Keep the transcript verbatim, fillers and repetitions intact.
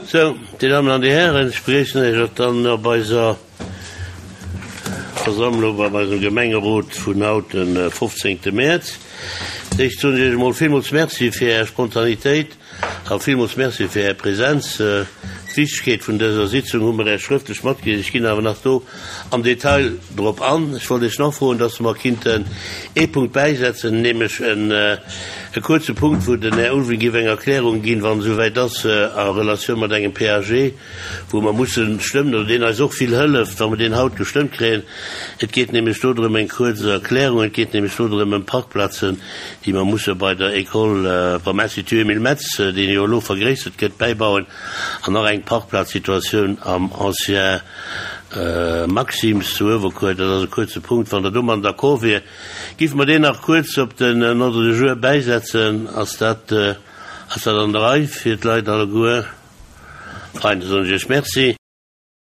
Sou, Dir Dammen an Dir Hären, ech begréissen Iech och dann op eiser Versammlung, bei eisem Gemengerot vun haut, de fofzéngte Mäerz. D'éischt soen ech Iech emol villmools Merci fir Är Spontanitéit a villmools Merci fir Är Präsenz. D'Wichtegkeet vun dëser Sitzung hu mer Iech schrëftlech matgedeelt. Ech ginn awer nach do am Detail drop an. Ech wollt Iech nach froen, dass mer kinnten ee Punkt bäisetzen, nämlech en e kuerze Punkt, wou den Här Ulveling giff eng Erklärung ginn, wann et esouwäit ass, a Relatioun mat engem P A G, wou mer mussen stëmmen, oder deen eis och vill hëlleft, wa mer deen haut gestëmmt kréien. Et geet nämlech do drëm, eng kuerz Erklärung, et geet nämlech do drëm ëm Parkplazen, déi mer musse bei der École, beim Institut Emile Metz, deen jo elo vergréissert gëtt, bäibauen, an nach eng Parkplazsituatioun am Ancien Maxim's zu Uewerkuer. Dat ass e kuerze Punkt. Wann Der domadden d'accord wier, giffe mer deen nach kuerz op den Ordre du jour bäisetzen. Ass dat, ass dat an der Rei fir d'Leit alleguer? Fein, da soen ech Iech Merci.